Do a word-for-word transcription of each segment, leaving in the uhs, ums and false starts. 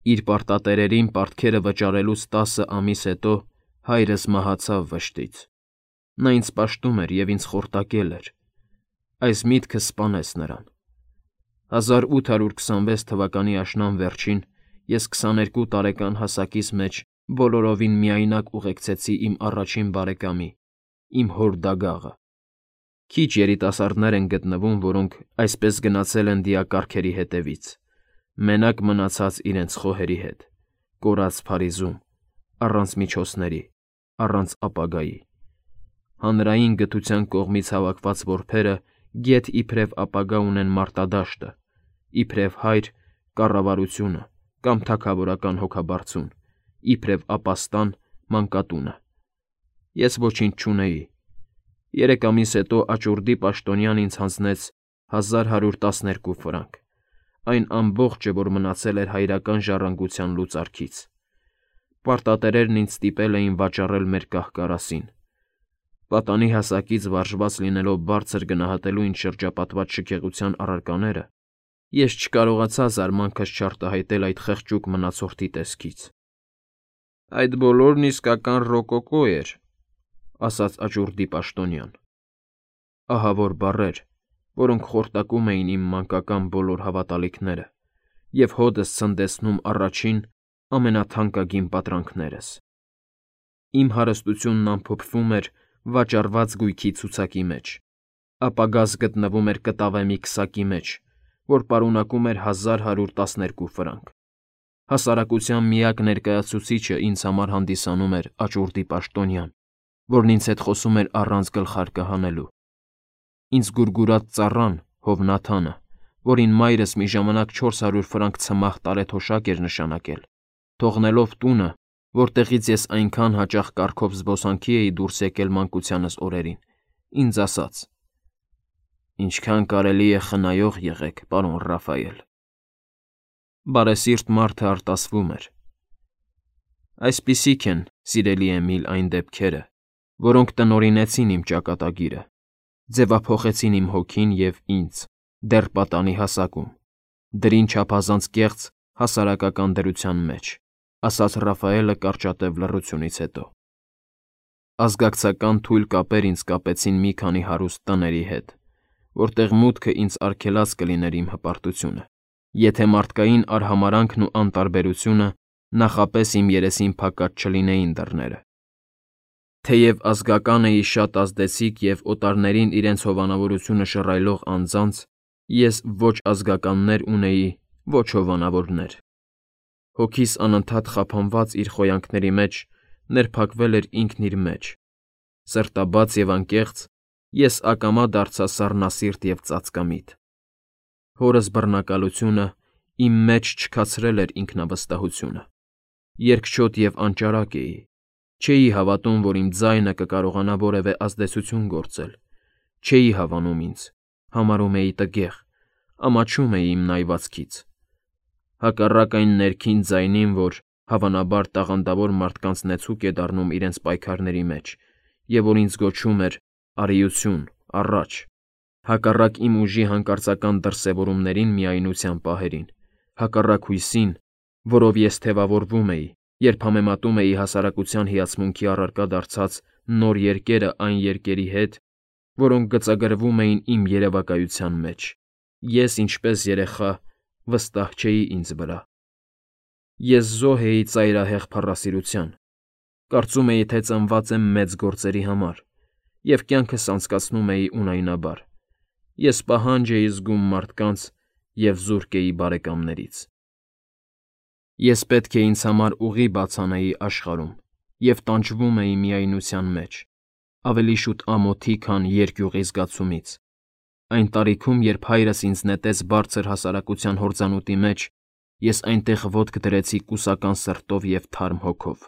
Իր պարտատերերին պարտքերը վճարելուց տասը ամիս հետո հայրս մահացավ վշտից։ Նա ինձ պաշտում էր և ինձ խորտակել էր։ Այս միտքը սպանեց նրան։ հազար ութ հարյուր քսանվեց թվականի աշնան վերջին ես քսաներկու տարեկան հասակիս մեջ բոլորովին միայնակ ուղեկցեցի իմ առաջին բարեկամի, իմ հոր դագաղը։ Քիչ երիտասարդներ են գտնվում, որոնք այսպես գնացել են դիակառքերի հետևից, մենակ մնացած իրենց խոհերի հետ, կորած Փարիզում, առանց միջոցների, առանց ապագայի։ Հանրային գթության կողմից հավաքված որբերը գեթ իբրև ապագա ունեն մարտադաշտը, իբրև հայր կառավարությունը կամ թագավորական հոգաբարձուն, իբրև ապաստան մանկատունը։ Ես ոչինչ չունեի։ Երեք ամիս հետո աճուրդի պաշտոնյան ինձ հանձնեց հազար հարյուր տասներկու ֆրանկ, այն ամբողջը, որ մնացել էր հայրական ժառանգության լուծարքից։ Պարտատերերն ինձ ստիպել էին վաճառել մեր կահ֊կարասին։ Պատանի հասակից վարժված լինելով բարձր գնահատելու ինձ շրջապատված շքեղության առարկաները, ես չկարողացա զարմանքս չարտահայտել այդ խղճուկ մնացորդի տեսքից։ «Այդ բոլորն իսկական ռոկոկո էր», ասաց աճուրդի պաշտոնյան։ Ահավոր բառեր, որոնք խորտակում էին իմ մանկական բոլոր հավատալիքները և հօդս ցնդեցնում առաջին, ամենաթանկագին պատրանքներս։ Իմ հարստությունն ամփոփվում էր վաճառված գույքի ցուցակի մեջ, ապագաս գտնվում էր կտավե մի քսակի մեջ, որ պարունակում էր հազար հարյուր տասներկու ֆրանկ։ Հասարակության միակ ներկայացուցիչը ինձ համար հանդիսանում էր աճուրդի պաշտոնյան, որն ինձ հետ խոսում էր առանց գլխարկը հանելու։ Ինձ գուրգուրած ծառան, Հովնաթանը, որին մայրս մի ժամանակ չորս հարյուր ֆրանկ ցմահ տարեթոշակ էր նշանակել, թողնելով տունը, որտեղից ես այնքան հաճախ կառքով զբոսանքի էի դուրս եկել մանկությանս օրերին, ինձ ասաց. «Ինչքան կարելի է խնայող եղեք, պարոն Ռաֆայել»։ Բարեսիրտ մարդը արտասվում էր։ Այսպիսիք են, սիրելի Էմիլ, այն դեպքերը, որոնք տնօրինեցին իմ ճակատագիրը, ձևափոխեցին իմ հոգին և ինձ, դեռ պատանի հասակում, դրին չափազանց կեղծ հասարակական դրության մեջ, ասաց Ռաֆայելը կարճատև լռությունից հետո։ Ազգակցական թույլ կապեր ինձ կապեցին մի քանի հարուստ տների հետ, որտեղ մուտքը ինձ արգելած կլիներ իմ հպարտությունը, եթե մարդկային արհամարհանքն ու անտարբերությունը նախապես իմ երեսին փակած չլինեին դռները։ Թեև ազգական էի շատ ազդեցիկ և օտարներին իրենց հովանավորությունը շռայլող անձանց, ես ոչ ազգականներ ունեի, ոչ հովանավորներ։ Հոգիս անընդհատ խափանված իր խոյանքների մեջ ներփակվել էր ինքն իր մեջ։ Սրտաբաց և անկեղծ, ես ակամա դարձա սառնասիրտ և ծածկամիտ։ Հորս բռնակալությունը իմ մեջ չքացրել էր ինքնավստահությունը։ Երկչոտ և անճարակ էի։ Չէի հավատում, որ իմ ձայնը կկարողանա որևէ ազդեցություն գործել։ Չէի հավանում ինձ, համարում էի տգեղ, ամաչում էի իմ նայվածքից։ Հակառակ այն ներքին ձայնին, որ, հավանաբար, տաղանդավոր մարդկանց նեցուկ է դառնում իրենց պայքարների մեջ և որ ինձ գոչում էր «Արիություն, առաջ», հակառակ իմ ուժի հանկարծական դրսևորումներին միայնության պահերին, հակառակ հույսին, որով ես թևավորվում էի, երբ համեմատում էի հասարակության հիացմունքի առարկա դարձած նոր երկերը այն երկերի հետ, որոնք գծագրվում էին իմ երևակայության մեջ, ես, ինչպես երեխա, վստահ չէի ինձ վրա։ Ես զոհ էի ծայրահեղ փառասիրության, կարծում էի, թե ծնված եմ մեծ գործերի համար, և կյանքս անցկացնում էի ունայնաբար։ Ես պահանջ էի զգում մարդկանց և զուրկ էի բարեկամներից։ Ես պետք է ինձ համար ուղի բաց անեի աշխարհում և տանջվում էի միայնության մեջ, ավելի շուտ ամոթի, քան երկյուղի զգացումից։ Այն տարիքում, երբ հայրս ինձ նետեց բարձր հասարակության հորձանուտի մեջ, ես այնտեղ ոտք դրեցի կուսական սրտով և թարմ հոգով,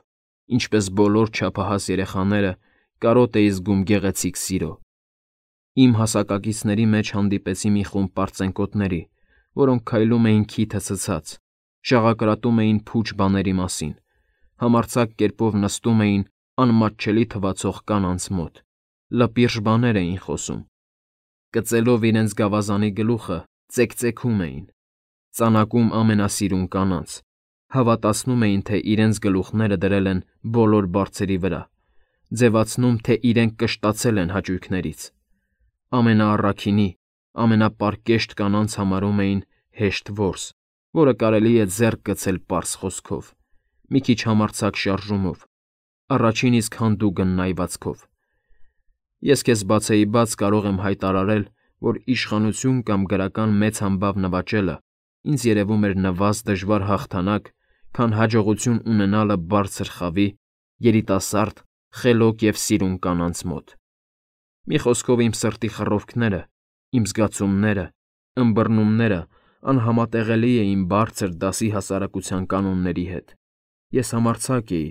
ինչպես բոլոր չափահաս երեխաները կարոտ էի զգում գեղեցիկ սիրո։ Իմ հասակակիցների մեջ հանդիպեցի մի խումբ պարծենկոտների, որոնք քայլում էին քիթը ցցած, շաղակրատում էին փուչ բաների մասին, համարձակ կերպով նստում էին անմատչելի թվացող կանանց մոտ, լպիրշ բաներ էին խոսում, կծելով իրենց գավազանի գլուխը ծեքծեքում էին, ծանակում ամենասիրուն կանանց, Հավատացնում էին, թե իրենց գլուխները դրել են բոլոր բարձերի վրա, ձևացնում, թե իրենք կշտացել են հաճույքներից։ Ամենաառաքինի, ամենապարկեշտ կանանց համարում էին հեշտ որս, որը կարելի է ձեռք գցել պարզ խոսքով, մի քիչ համարձակ շարժումով, առաջին իսկ հանդուգն նայվածքով։ Ես քեզ բացեի բաց կարող եմ հայտարարել, որ իշխանություն կամ գրական մեծ համբավ նվաճելը ինձ երևում էր նվազ դժվար հաղթանակ, քան հաջողություն ունենալը բարձր խավի, երիտասարդ, խելոք և սիրուն կանանց մոտ։ Մի խոսքով իմ սրտի խռովքները, իմ զգացումները, ըմբռնումները անհամատեղելի էին բարձր դասի հասարակության կանոնների հետ։ Ես համարձակ էի,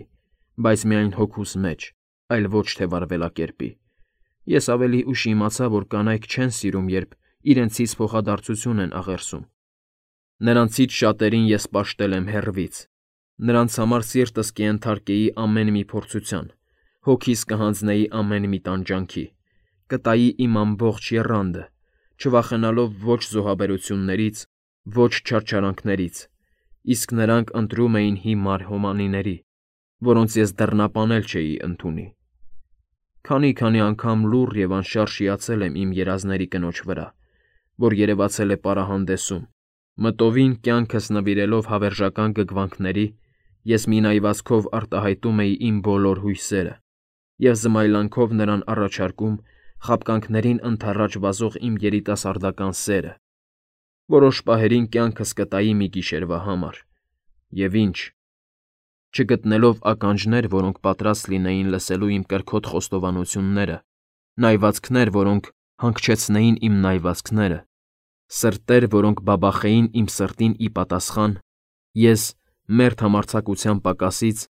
բայց միայն հոգուս մեջ, այլ ոչ թե վարվելակերպի։ Ես ավելի ուշ իմացա, որ կանայք չեն սիրում, երբ իրենցից փոխադարձություն են աղերսում։ Նրանցից շատերին ես պաշտել եմ հեռվից։ Նրանց համար սիրտս կենթարկեի ամեն մի փորձության, հոգիս կհանձնեի ամեն մի տանջանքի, կտայի իմ ամբողջ եռանդը, չվախենալով ոչ զոհաբերություններից, ոչ չարչարանքներից, իսկ նրանք ընտրում էին հիմար հոմանիների, որոնց ես դռնապանել չէի ընդունի։ Քանի-քանի անգամ լուռ և անշարժ հիացել եմ իմ երազների կնոջ վրա, որ երևացել է պարահանդեսում, մտովին կյանքս նվիրելով հավերժական գգվանքների, ես մի նայվածքով արտահայտում էի իմ բոլոր հույսերը և զմայլանքով նրան առաջարկում խաբկանքներին ընդառաջ վազող իմ երիտասարդական սերը, որոշ պահերին կյանքս կտայի մի գիշերվա համար։ Եվ ինչ, չգտնելով ականջներ, որոնք պատրաստ լինեին լսելու իմ կրքոտ խոստովանությունները, նայվածքներ, որոնք հանգչեցնեին իմ նայվածքները, սրտեր, որոնք բաբախեին իմ սրտին ի պատասխան, ես, մերթ համարձակության պակասից,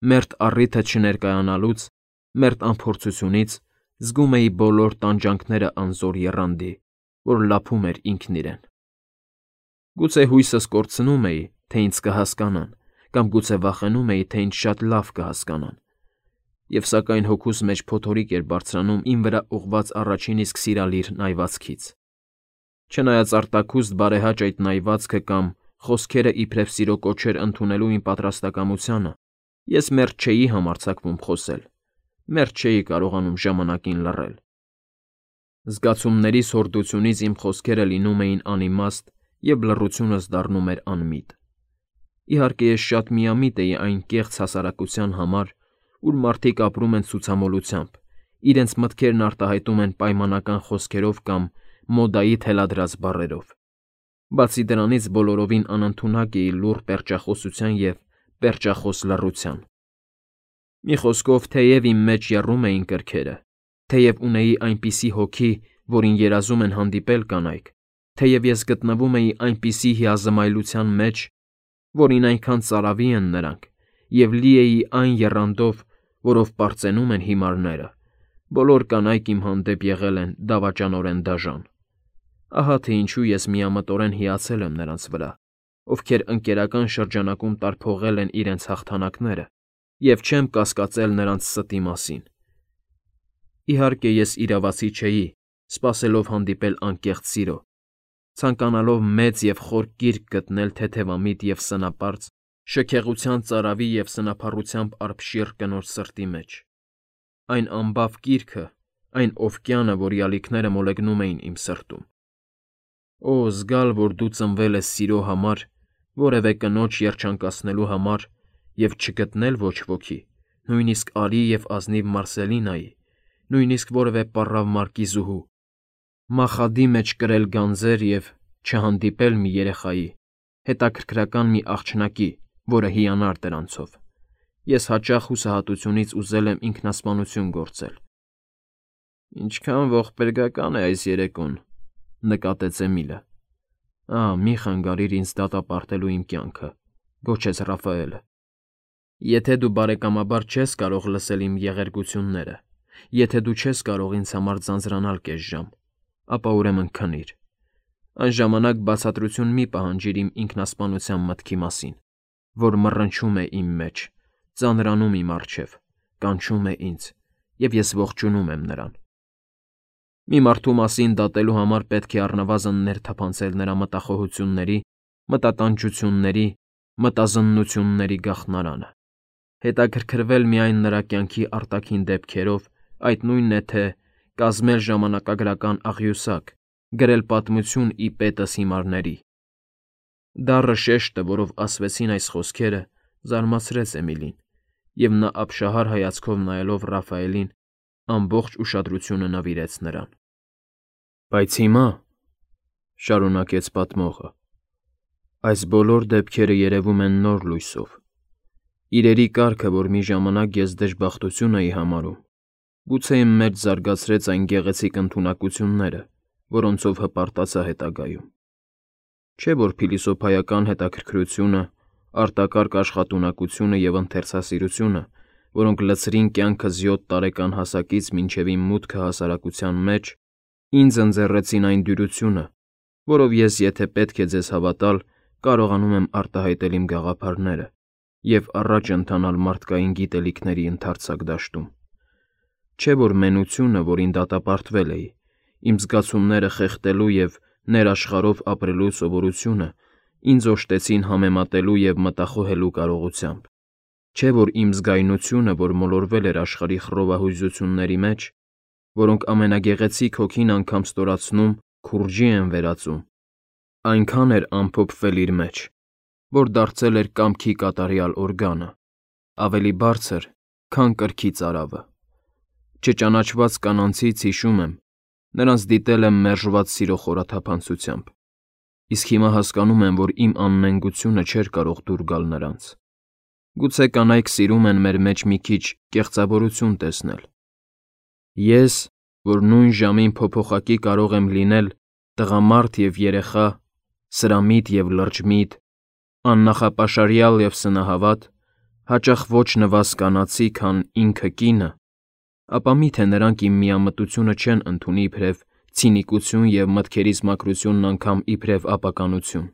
մերթ առիթը չներկայանալուց, մերթ անփորձությունից, զգում էի բոլոր տանջանքները անզոր եռանդի, որ լափում էր ինքն իրեն։ Գուցե հույսս կորցնում էի, թե ինձ կհասկանան, կամ գուցե վախենում էի, թե ինձ շատ լավ կհասկանան, և սակայն հոգուս մեջ փոթորիկ էր բարձրանում իմ վրա ուղղված առաջին իսկ սիրալիր նայվածքից։ Չնայած արտաքուստ բարեհաճ այդ նայվածքը կամ խոսքերը իբրև սիրո կոչեր ընդունելու իմ պատրաստակամությանը, ես մերթ չէի համարձակվում խոսել, մերթ չէի կարողանում ժամանակին լռել։ Զգացումներիս հորդությունից իմ խոսքերը լինում էին անիմաստ, և լռությունս դառնում էր անմիտ։ Իհարկե, ես շատ միամիտ էի այն կեղծ հասարակության համար, ուր մարդիկ ապրում են ցուցամոլությամբ, իրենց մտքերն արտահայտում են պայմանական խոսքերով կամ մոդայի թելադրած բառերով։ Բացի դրանից բոլորովին անընդունակ էի լուռ պերճախոսության և պերճախոս լռության։ Մի խոսքով, թեև իմ մեջ եռում էին կրքերը, թեև ունեի այնպիսի հոգի, որին երազում են հանդիպել կանայք, թեև ես գտնվում էի այնպիսի հիազմայլության մեջ, որին այնքան ծարավի են նրանք, և լի էի այն եռանդով, որով պարծենում են հիմարները, բոլոր կանայք իմ հանդեպ եղել են դավաճանորեն դաժան։ Ահա թե ինչու ես միամտորեն հիացել եմ նրանց վրա, ովքեր ընկերական շրջանակում տարփողել են իրենց հաղթանակները, և չեմ կասկածել նրանց ստի մասին։ Իհարկե, ես իրավացի չէի, սպասելով հանդիպել անկեղծ սիրո, ցանկանալով մեծ և խոր կիրք գտնել թեթևամիտ և սնապարծ, շքեղության ծարավի և սնափառությամբ արբշիռ կնոջ սրտի մեջ։ Այն ամբավ կիրքը, այն օվկիանը, որի ալիքները մոլեգնում էին իմ սրտում։ Օ, զգալ, որ դու ծնվել ես սիրո համար, որևէ կնոջ երջանկացնելու համար և չգտնել ոչ ոքի, նույնիսկ արի և ազնիվ Մարսելինայի, նույնիսկ որևէ պառավ մարկիզուհու, մախադի մեջ կրել գանձեր և չհանդիպել մի երեխայի, հետաքրքրական մի աղջնակի, որը հիանար դրանցով։ Ես հաճախ հուսահատությունից ուզել եմ ինքնասպանություն գործել։ «Ինչքան ողբերգական է այս երեկոն», ֊ նկատեց Էմիլը։ «Ահ, մի խանգարիր ինձ դատապարտելու իմ կյանքը», ֊ գոչեց Ռաֆայելը։ «Եթե դու բարեկամաբար չես կարող լսել իմ եղերգությունները, եթե դու չես կարող ինձ համար ձանձրանալ կես ժամ, ապա ուրեմն քնիր։ Այն ժամանակ բացատրություն մի պահանջիր իմ ինքնասպանության մտքի մասին, որ մռնչում է իմ մեջ, ծանրանում իմ առջև, կանչում է ինձ, և ես ողջունում եմ նրան։ Մի մարդու մասին դատելու համար պետք է առնվազն ներթափանցել նրա մտախոհությունների, մտատանջությունների, մտազննությունների գաղտնարանը, հետաքրքրվել միայն նրա կյանքի արտաքին դեպքերով, այդ նույնն է թե կազմել ժամանակագրական աղյուսակ, գրել պատմություն ի պետս հիմարների։ Դառը շեշտը, որով ասվեցին այս խոսքերը, զարմացրեց Էմիլին, և նա ապշահար հայացքով նայելով Ռաֆայելին, ամբողջ ուշադրությունը նվիրեց նրան։ Բայց հիմա, շարունակեց պատմողը, այս բոլոր դեպքերը երևում են նոր լույսով։ Իրերի կարգը, որ մի ժամանակ ես դժբախտություն էի համարում, գուցե իմ մեջ զարգացրեց այն գեղեցիկ ընդունակությունները, որոնցով հպարտացա հետագայում։ Չէ՞ որ փիլիսոփայական հետաքրքրությունը, արտակարգ աշխատունակությունը և ընթերցասիրությունը, որոնք լցրին կյանքս յոթ տարեկան հասակից մինչև իմ մուտքը հասարակության մեջ, ինձ ընձեռեցին այն դյուրությունը, որով ես, եթե պետք է ձեզ հավատալ, կարողանում եմ արտահայտել իմ գաղափարները և առաջ ընթանալ մարդկային գիտելիքների ընդարձակ դաշտում։ Չէ՞ որ մենությունը, որին դատապարտվել էի, իմ զգացումները խեղդելու և ներաշխարհով ապրելու սովորությունը ինձ օժտեցին համեմատելու և մտախոհելու կարողությամբ։ Չէ՞ որ իմ զգայունությունը, որ մոլորվել էր աշխարհի խռովահույզությունների մեջ, որոնք ամենագեղեցիկ հոգին անգամ ստորացնում, քուրջի են վերածում, այնքան էր ամփոփվել իր մեջ, որ դարձել էր կամքի կատարյալ օրգանը, ավելի բարձր, քան կրքի ծարավը։ Չճանաչված կանանցից, հիշում եմ, նրանց դիտել եմ մերժված սիրո խորաթափանցությամբ, իսկ հիմա հասկանում եմ, որ իմ աննենգությունը չէր կարող դուր գալ նրանց։ Գուցե կանայք սիրում են մեր մեջ մի քիչ կեղծավորություն տեսնել։ Ես, որ նույն ժամին փոփոխակի կարող եմ լինել տղամարդ և երեխա, սրամիտ և լրջմիտ, աննախապաշարյալ և սնահավատ, հաճախ ոչ նվազ կանացի, քան ինքը կինը, ապա մի՞թե նրանք իմ միամտությունը չեն ընդունի իբրև ցինիկություն և մտքերիս մաքրությունն անգամ իբրև ապականություն։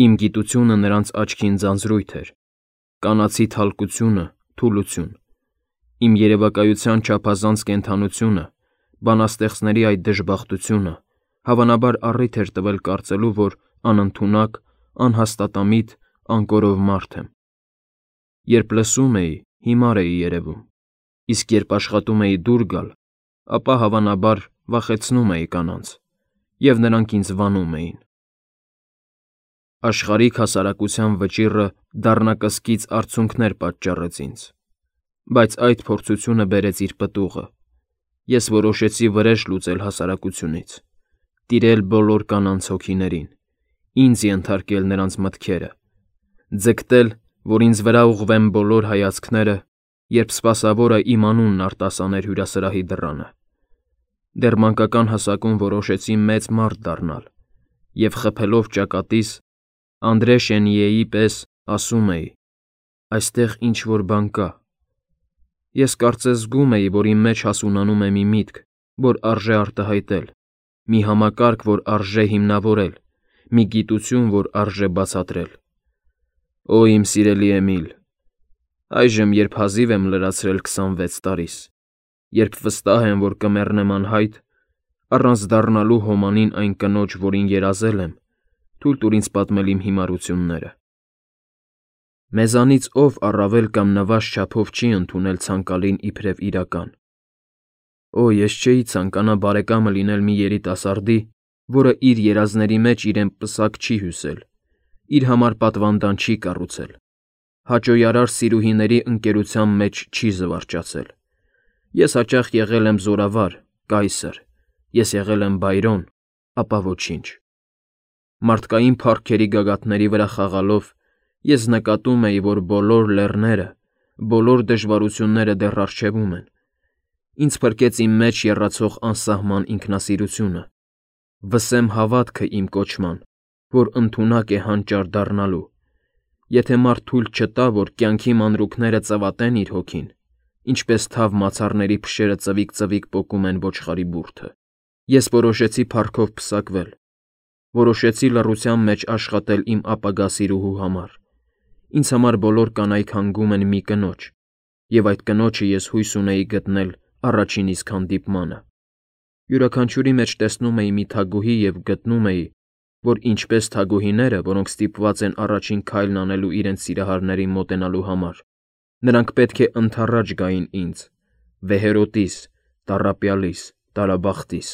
Իմ գիտությունը նրանց աչքին ձանձրույթ էր, կանացի թալկությունը՝ թուլություն, իմ երևակայության չափազանց կենդանությունը, բանաստեղծների այդ դժբախտությունը, հավանաբար առիթ էր տվել կարծելու, որ անընդունակ, անհաստատամիտ, անկորով մարդ եմ։ Երբ լսում էի, հիմար էի երևում, իսկ երբ աշխատում էի դուր գալ, ապա, հավանաբար, վախեցնում էի կանանց, և նրանք ինձ վանում էին։ Աշխարհիկ հասարակության վճիռը դառնակսկիծ արցունքներ պատճառեց ինձ, բայց այդ փորձությունը բերեց իր պտուղը։ Ես որոշեցի վրեժ լուծել հասարակությունից, տիրել բոլոր կանանց հոգիներին, ինձ ենթարկել նրանց մտքերը, ձգտել, որ ինձ վրա ուղղվեն բոլոր հայացքները, երբ սպասավորը իմ անունն արտասաներ հյուրասրահի դռանը։ Դեռ մանկական հասակում որոշեցի մեծ մարդ դառնալ և, խփելով ճակատիս, Անդրե Շենիեի պես ասում էի. «Այստեղ ինչ֊որ բան կա»։ Ես կարծես զգում էի, որ իմ մեջ հասունանում է մի միտք, որ արժե արտահայտել, մի համակարգ, որ արժե հիմնավորել, մի գիտություն, որ արժե բացատրել։ Օ, իմ սիրելի Էմիլ, այժմ, երբ հազիվ եմ լրացրել քսանվեց տարիս, երբ վստահ եմ, որ կմեռնեմ անհայտ, առանց դառնալու հոմանին այն կնոջ, որին երազել եմ, թույլ տուր ինձ պատմել իմ հիմարությունները։ Մեզանից ով առավել կամ նվազ չափով չի ընդունել ցանկալին իբրև իրական։ Օ, ես չէի ցանկանա բարեկամը լինել մի երիտասարդի, որը իր երազների մեջ իրեն պսակ չի հյուսել, իր համար պատվանդան չի կառուցել, հաճոյարար սիրուհիների ընկերության մեջ չի զվարճացել։ Ես հաճախ եղել եմ զորավար, կայսր, ես եղել եմ Բայրոն, ապա ոչինչ։ Մարդկային փառքերի գագաթների վրա խաղալով ես նկատում էի, որ բոլոր լեռները, բոլոր դժվարությունները դեռ առջևում են։ Ինձ փրկեց իմ մեջ եռացող անսահման ինքնասիրությունը, վսեմ հավատքը իմ կոչման, որ ընդունակ է հանճար դառնալու, եթե մարդ թույլ չտա, որ կյանքի մանրուքները ծվատեն իր հոգին, ինչպես թավ մացառների փշերը ծվիկ-ծվիկ պոկում են ոչխարի բուրդը։ Ես որոշեցի փառքով պսակվել, որոշեցի լռության մեջ աշխատել իմ ապագա սիրուհու համար։ Ինձ համար բոլոր կանայք հանգում են մի կնոջ, և այդ կնոջը ես հույս ունեի գտնել առաջին իսկ հանդիպմանը։ Յուրաքանչյուրի մեջ տեսնում էի մի թագուհի և գտնում էի, որ ինչպես թագուհիները, որոնք ստիպված են առաջին քայլն անելու իրենց սիրահարներին մոտենալու համար, նրանք պետք է ընդառաջ գային ինձ, վեհերոտիս, տառապյալիս, տարաբախտիս։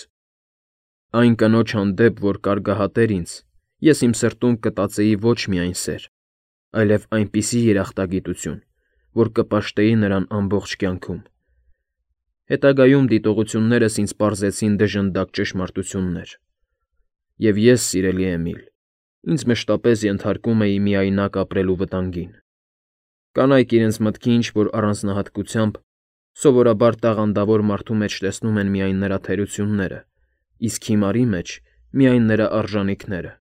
Այն կնոջ հանդեպ, որ կարգահատեր ինձ, ես իմ սրտում կտածեի ոչ միայն սեր, այլև այնպիսի երախտագիտություն, որ կպաշտեի նրան ամբողջ կյանքում։ Հետագայում դիտողություններս ինձ պարզեցին դժնդակ ճշմարտություններ։ Եվ ես, սիրելի Էմիլ, ինձ մշտապես ենթարկում էի միայնակ ապրելու վտանգին։ Կանայք իրենց մտքի ինչ-որ առանձնահատկությամբ սովորաբար տաղանդավոր մարդու մեջ տեսնում են միայն նրա թերությունները, իսկ հիմարի մեջ միայն նրա արժանիքները։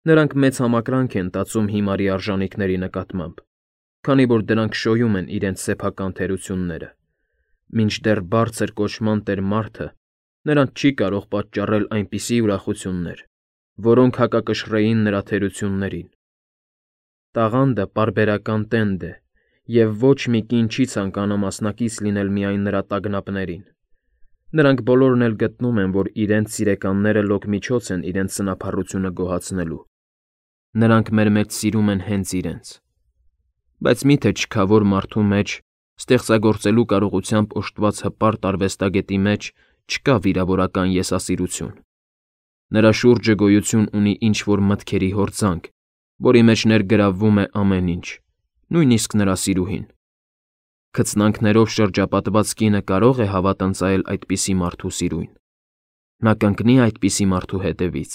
Նրանք մեծ համակրանք են տածում հիմարի արժանիքների նկատմամբ, քանի որ դրանք շոյում են իրենց սեփական թերությունները, մինչդեռ բարձր կոչման տեր մարդը նրանց չի կարող պատճառել այնպիսի ուրախություններ, որոնք հակակշռեին նրա թերություններին։ Տաղանդը պարբերական տենդ է, և ոչ մի կին չի ցանկանա մասնակից լինել միայն նրա տագնապներին։ Նրանք բոլորն էլ գտնում են, որ իրենց սիրեկանները լոկ միջոց են իրենց սնափառությունը գոհացնելու։ Նրանք մեր մեջ սիրում են հենց իրենց։ Բայց մի՞թե չքավոր մարդու մեջ, ստեղծագործելու կարողությամբ օժտված հպարտ արվեստագետի մեջ չկա վիրավորական եսասիրություն։ Նրա շուրջը գոյություն ունի ինչ-որ մտքերի հորձանք, որի մեջ ներգրավվում է ամեն ինչ, նույնիսկ նրա սիրուհին։ Քծնանքներով շրջապատված կինը կարող է հավատ ընծայել այդպիսի մարդու սիրուն։ Նա կընկնի այդպիսի մարդու հետևից։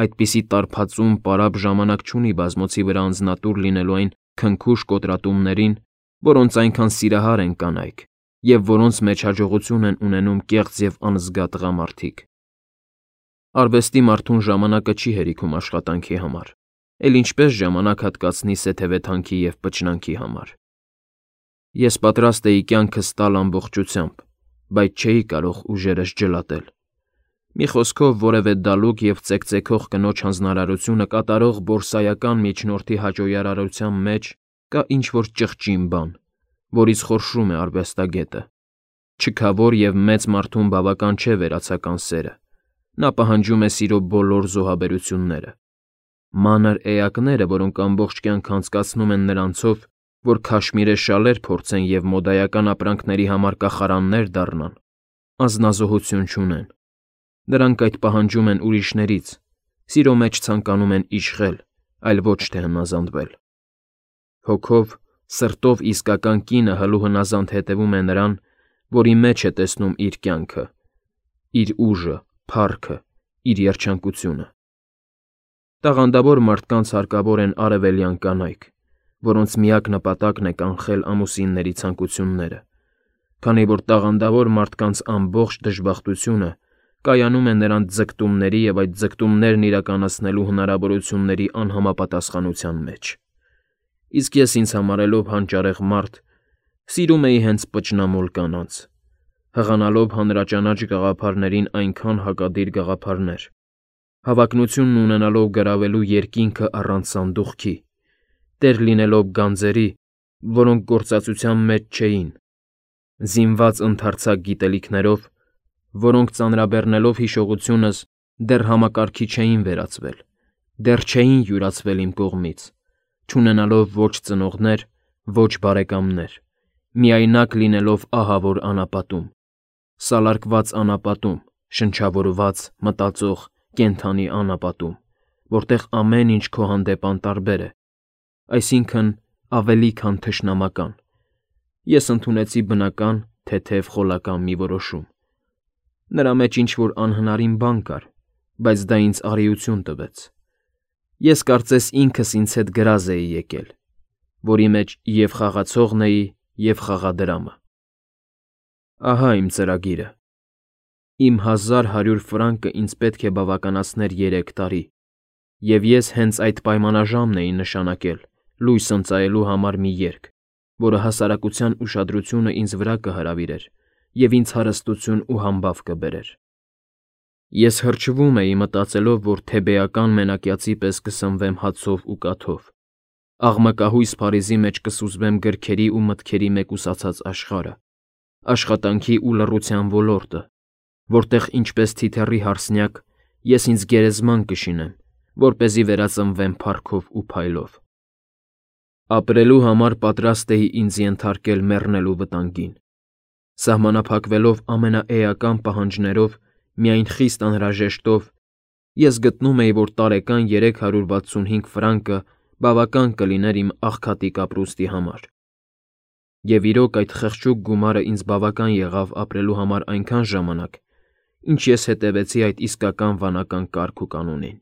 Այդպիսի տարբածում պարապ ժամանակ չունի բազմոցի վրա անձնատուր լինելու այն քնքուշ կոտրատումներին, որոնց այնքան սիրահար են կանայք, և որոնց մեջ հաջողություն են ունենում կեղծ և անզգա տղամարդիկ։ Արվեստի մարդուն ժամանակը չի հերիքում աշխատանքի համար, էլ ինչպես ժամանակ հատկացնի սեթևեթանքի և պճնանքի համար։ Ես պատրաստ էի կյանքս տալ ամբողջությամբ, բայց չէի կարող ուժերս ջլատել։ Մի խոսքով, որևէ դալուկ և ծեքծեքող կնոջ հանձնարարությունը կատարող բորսայական միջնորդի հաճոյարարության մեջ կա ինչ-որ ճղճին բան, որից խորշում է արվեստագետը։ Չքավոր և մեծ մարդուն բավական չէ վերացական սերը, նա պահանջում է սիրո բոլոր զոհաբերությունները։ Մանր էակները, որոնք ամբողջ կյանք անցկացնում են նրանցով, որ քաշմիրե շալեր փորձեն և մոդայական ապրանքների համար կախարաններ դառնան, անձնազոհություն չունեն։ Նրանք այդ պահանջում են ուրիշներից, սիրո մեջ ցանկանում են իշխել, այլ ոչ թե հնազանդվել։ Հոգով, սրտով իսկական կինը հլու հնազանդ հետևում է նրան, որի մեջ է տեսնում իր կյանքը, իր ուժը, փառքը, իր երջանկությունը։ Տաղանդավոր մարդկանց հարկավոր են արևելյան կանայք, որոնց միակ նպատակն է կանխել ամուսինների ցանկությունները, քանի որ տաղանդավոր մարդկանց ամբողջ դժբախտությունը կայանում է նրանց ձգտումների և այդ ձգտումներն իրականացնելու հնարավորությունների անհամապատասխանության մեջ։ Իսկ ես ինձ համարելով հանճարեղ մարդ, սիրում էի հենց պճնամոլ կանանց, հղանալով հանրաճանաչ գաղափարներին այնքան հակադիր գաղափարներ, հավակնությունն ունենալով գրավելու երկինքը առանց սանդուղքի, տեր լինելով գանձերի, որոնք գործածության մեջ չէին, զինված ընդարձակ գիտելիքներով, որոնք ծանրաբեռնելով հիշողությունս դեռ համակարգի չէին վերածվել, դեռ չէին յուրացվել իմ կողմից, չունենալով ոչ ծնողներ, ոչ բարեկամներ, միայնակ լինելով ահավոր անապատում, սալարկված անապատում, շնչավորված, մտածող, կենդանի անապատում, որտեղ ամեն ինչ քո հանդեպ անտարբեր է, այսինքն ավելի քան թշնամական։ Ես ընդունեցի բնական, թեթև խոլական մի որոշում։ Նրա մեջ ինչ-որ անհնարին բան կար, բայց դա ինձ արիություն տվեց։ Ես կարծես ինքս ինձ հետ գրազ էի եկել, որի մեջ և խաղացողն էի, և խաղադրամը։ Ահա իմ ծրագիրը։ Իմ հազար հարյուր ֆրանկը ինձ պետք է բավականացներ երեք տարի, և ես հենց այդ պայմանաժամն էի նշանակել լույս ընծայելու համար մի երգ, որը հասարակության ուշադրությունը ինձ վրա կհրավիրեր և ինձ հարստություն ու համբավ կբերեր։ Ես հրճվում էի մտածելով, որ թեբեական մենակյացի պես կսնվեմ հացով ու կաթով, աղմկահույս Փարիզի մեջ կսուզվեմ գրքերի ու մտքերի մեկուսացած աշխարհը, աշխատանքի ու լռության ոլորտը, որտեղ ինչպես թիթեռի հարսնյակ ես ինձ գերեզման կշինեմ, որպեսզի վերածնվեմ փառքով ու փայլով։ Ապրելու համար պատրաստ էի ինձ ենթարկել մեռնելու վտանգին, սահմանափակվելով ամենաէական պահանջներով, միայն խիստ անհրաժեշտով, ես գտնում էի, որ տարեկան երեք հարյուր վաթսունհինգ ֆրանկը բավական կլիներ իմ աղքատիկ ապրուստի համար։ Եվ իրոք այդ խղճուկ գումարը ինձ բավական եղավ ապրելու համար այնքան ժամանակ, ինչ ես հետևեցի այդ իսկական վանական կարգ ու կանոնին։